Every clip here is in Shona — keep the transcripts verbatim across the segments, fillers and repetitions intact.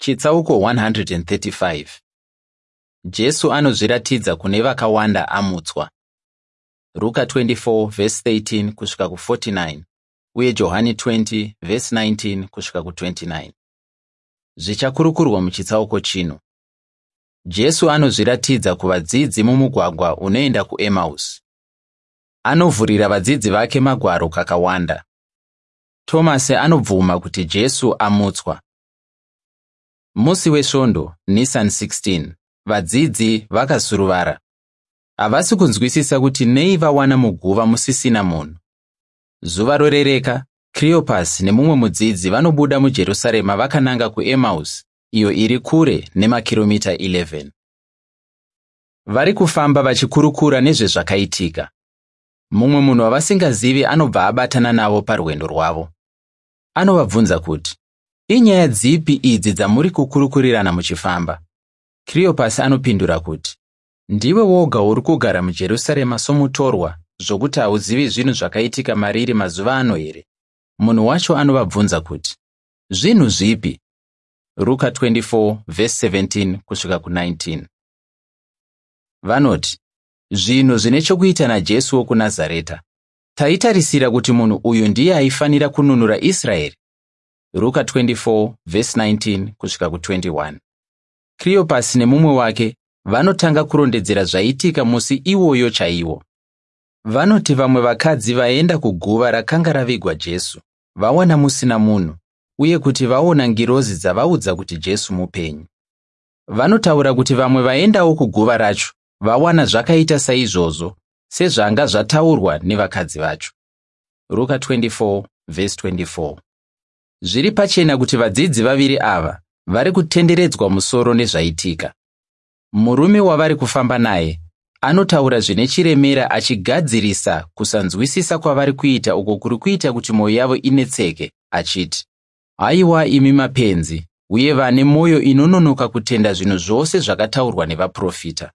Chitsauko one hundred thirty-five. Jesu anozviratidza kune vakawanda amutswa. Ruka twenty-four vhesi thirteen kusvika kuforty-nine uye Johani twenty vhesi nineteen kusvika kutwenty-nine. Zvichakurukurwa muchitsauko chino: Jesu anozviratidza kuvadzidzi mumugwagwa unoenda kuEmausi. Anovhurira vadzidzi vake magwaro kakawanda. Tomasi anobvuma kuti Jesu amutswa. Musi weSvondo, Nisan sixteen, vadzidzi vakasuruvara. Havasi kunzwisisa kuti nei vawana muguva musisina munhu. Zuva rorereka, Cleopas nemumwe mudzidzi vanobuda muJerusarema vakananga kuEmausi, iyo iri kure nemakiromita eleven. Vari kufamba vachikurukura nezvezvakaitika. Mumwe munhu wavasingazivi anobva abatana navo parwendo rwavo. Anovabvunza kuti, "Inyaya dzipi idzi dzamuri kukurukurirana muchifamba?" Cleopas anopindura kuti, "Ndiwe woga uri kugara muJerusarema somutorwa zvokuti hauzivi zvinhu zvakaitika mariri mazuva ano here?" Munhu wacho anovabvunza kuti, "Zvinhu zvipi?" Ruka twenty-four vhesi seventeen kusvika kunineteen. Vanoti, "Zvinhu zvine chokuita naJesu wokuNazareta. Taitarisira kuti munhu uyu ndiye aifanira kununura Israeri." Ruka twenty-four vhesi nineteen kusvika kutwenty-one. Cleopas nemumwe wake vanotanga kurondedzera zvaitika musi iwoyo chaiwo. Vanoti vamwe vakadzi vaenda kuguva rakanga ravigwa Jesu, vawana musina munhu, uye kuti vaona ngirozi dzavaudza kuti Jesu mupenyu. Vanotaura kuti vamwe vaendawo kuguva racho vawana zvakaita saizvozvo, sezvanga zvataurwa nevakadzi vacho. Ruka twenty-four vhesi twenty-four. Zviri pachena kuti vadzidzi vaviri ava vari kutenderedzwa musoro nezvaitika. Murume wavari kufamba naye anotaura zvine chiremera achigadzirisa kusanzwisisa kwavari kuita uko kuri kuita kuti mwoyo yavo inetseke, achiti, "Haiwa imi mapenzi uye vane mwoyo inononoka kutenda zvinhu zvose zvakataurwa nevaprofita!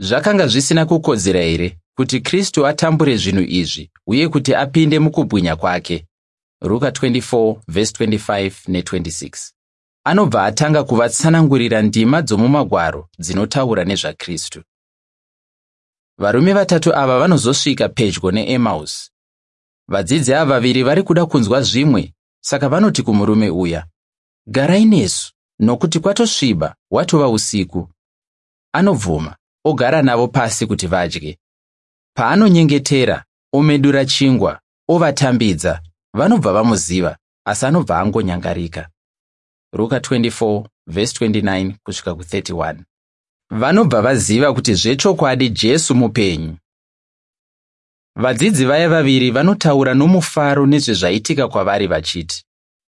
Zvakanga zvisina kukodzera here kuti Kristu atambure zvinhu izvi uye kuti apinde mukubwinya kwake?" Ruka twenty-four vhesi twenty-five netwenty-six. Anobva atanga kuvatsanangurira ndima dzomumagwaro dzinotaura nezvaKristu. Varume vatatu ava vanozosvika pedyo neEmausi. Vadzidzi ava vaviri vari kuda kunzwa zvimwe, saka vanoti kumurume uya, "Garai nesu, nokuti kwatosviba, watova usiku." Anobvuma, ogara navo pasi kuti vadye. Paanonyengetera, omedura chingwa, ovatambidza, vanobva vamuziva, asi anobva angonyangarika. Ruka twenty-four vhesi twenty-nine kusvika kuthirty-one. Vanobva vaziva kuti zvechokwadi Jesu mupenyu. Vadzidzi vaya vaviri vanotaura nomufaro nezvezvaitika kwavari vachiti,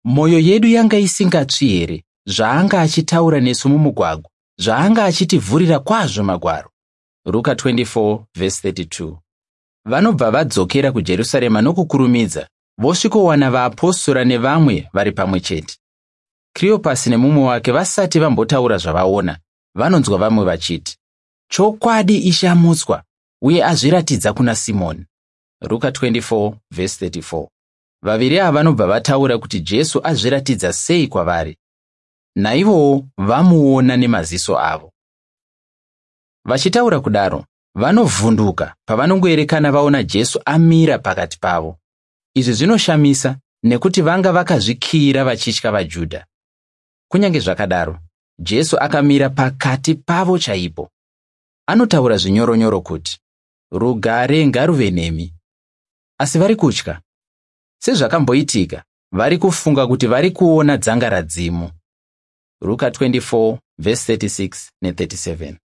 "Mwoyo yedu yanga isingatsvi here zvaanga achitaura nesu mumugwagwa, zvaanga achitivhurira kwazvo magwaro?" Ruka twenty-four vhesi thirty-two. Vanobva vadzokera kuJerusarema nokukurumidza, vosvikowana vaapostora nevamwe vari pamwe chete. Cleopas nemumwe wake vasati vambotaura zvavaona, vanonzwa vamwe vachiti, "Chokwadi Ishe amutswa uye azviratidza kuna Simoni." Ruka twenty-four vhesi thirty-four. Vaviri ava vanobva vataura kuti Jesu azviratidza sei kwavari. Naivowo vamuona nemaziso avo. Vachitaura kudaro, vanovhunduka pavanongoerekana vaona Jesu amira pakati pavo. Izvi zvinoshamisa nekuti vanga vakazvikiyira vachitya vaJudha. Kunyange zvakadaro, Jesu akamira pakati pavo chaipo. Anotaura zvinyoronyoro kuti, "Rugare ngaruve nemi." Asi vari kutya. Sezvakamboitika, vari kufunga kuti vari kuona dzangaradzimu. Ruka twenty-four vhesi thirty-six nethirty-seven.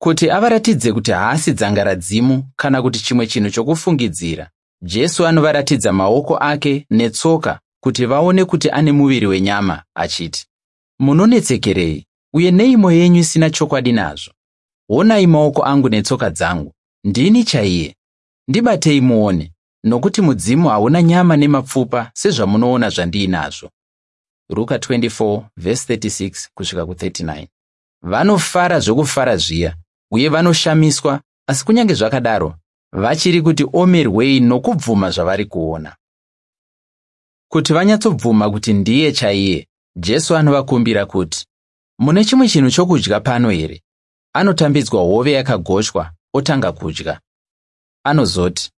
Kuti avaratidze kuti haasi dzangaradzimu kana kuti chimwe chinhu chokufungidzira, Jesu anovaratidza maoko ake netsoka kuti vaone kuti ane muviri wenyama, achiti, "Munonetsekerei uye nei mwoyo yenyu isina chokwadi nazvo? Honai maoko angu netsoka dzangu, ndini chaiye. Ndibatei muone, nokuti mudzimu hauna nyama nemapfupa sezvamunoona zvandiinazvo." Ruka twenty-four vhesi thirty-six kusvika kuthirty-nine. Vanofara zvokufara zviya uye vanoshamiswa, asi kunyange zvakadaro vachiri kuti omerwei nokubvuma zvavari kuona. Kuti vanyatsobvuma kuti ndiye chaiye, Jesu anovakumbira kuti, "Mune chimwe chinhu chokudya pano here?" Anotambidzwa hove yakagochwa otanga kudya. Anozoti,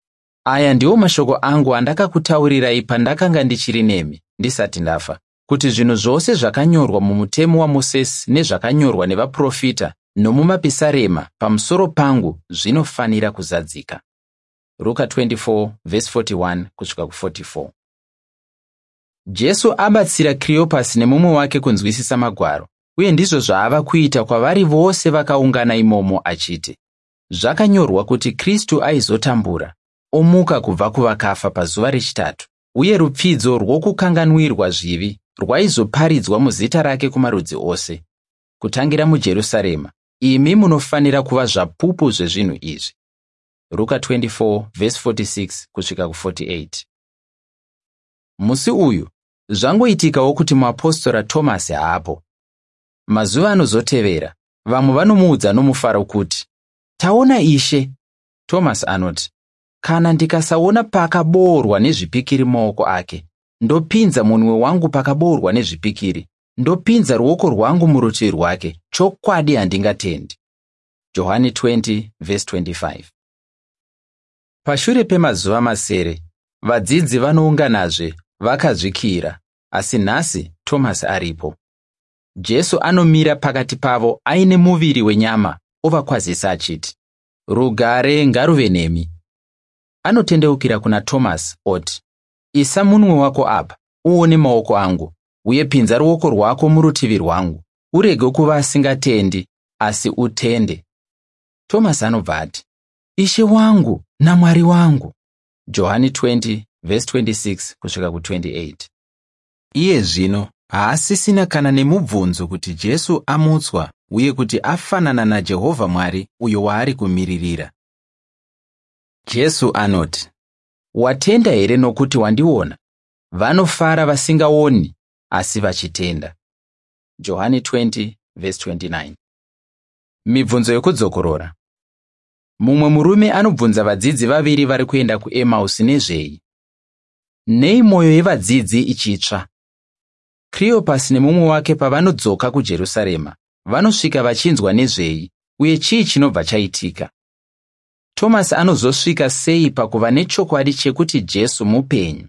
"Aya ndiwo mashoko angu andakakutaurirai pandakanga ndichiri nemi ndisati ndafa, kuti zvinhu zvose zvakanyorwa mumutemo waMosesi nezvakanyorwa nevaprofita nomumapisarema pamusoro pangu zvinofanira kuzadzika." Ruka twenty-four verse forty-one kusvika ku forty-four. Jesu abatsira Kriyopasi nemumwe wake kunzwisisa magwaro, uye ndizvo zvaava kuita kwavari vose vakaungana imomo achiti, zvakanyorwa kuti Kristu aizotambura, omuka kubva kuvakafa pazuva rechitatu, uye rupfidzo rwokukanganwirwa zvivi rwaizoparidzwa muzita rake kumarudzi ose, kutangira muJerusarema. Imi munofanira kuva zvapupu zvezvinhu izvi. Ruka twenty-four verse forty-six kusvika ku forty-eight. Musi uyu zvangoitikawo kuti muapostora Tomasi haapo. Mazuva anozotevera, vamwe vanomuudza nomufaro kuti, "Taona Ishe." Tomasi anoti, "Kana ndikasaona pakaboorwa nezvipikiri mumaoko ake, ndopinza munwe wangu pakaboorwa nezvipikiri, ndopinza ruoko rwangu murutivi rwake, chokwadi handingatendi." Johani twenty verse twenty-five. Pashure pemazuva masere, vadzidzi vanounganazve vakazvikira, asi nhasi Tomasi aripo. Jesu anomira pakati pavo aine muviri wenyama ovakwazisa achiti, "Rugare ngaruve nemi." Anotendeukira kuna Tomasi oti, "Isa munwe wako apa, uone maoko angu, uye pinza ruoko rwako murutivi rwangu. Urege kuva asingatendi, asi utende." Tomasi anobva ati, "Ishe wangu naMwari wangu." Johani twenty verse twenty-six kusvika ku twenty-eight. Iye zvino haasisina kana nemubvunzo kuti Jesu amutswa uye kuti afanana naJehovha Mwari uyo waari kumiririra. Jesu anoti, "Watenda here nokuti wandiona? Vanofara vasingaoni asi vachitenda." Johani twenty verse twenty-nine. Mibvunzo yokudzokorora. Mumwe murume anobvunza vadzidzi vaviri vari kuenda kuEmausi nezvei? Nei mwoyo yevadzidzi ichitsva? Kriyopasi nemumwe wake pavanodzoka kuJerusarema, vanosvika vachinzwa nezvei uye chii chinobva chaitika? Tomasi anozosvika sei pakuva nechokwadi chekuti Jesu mupenyu?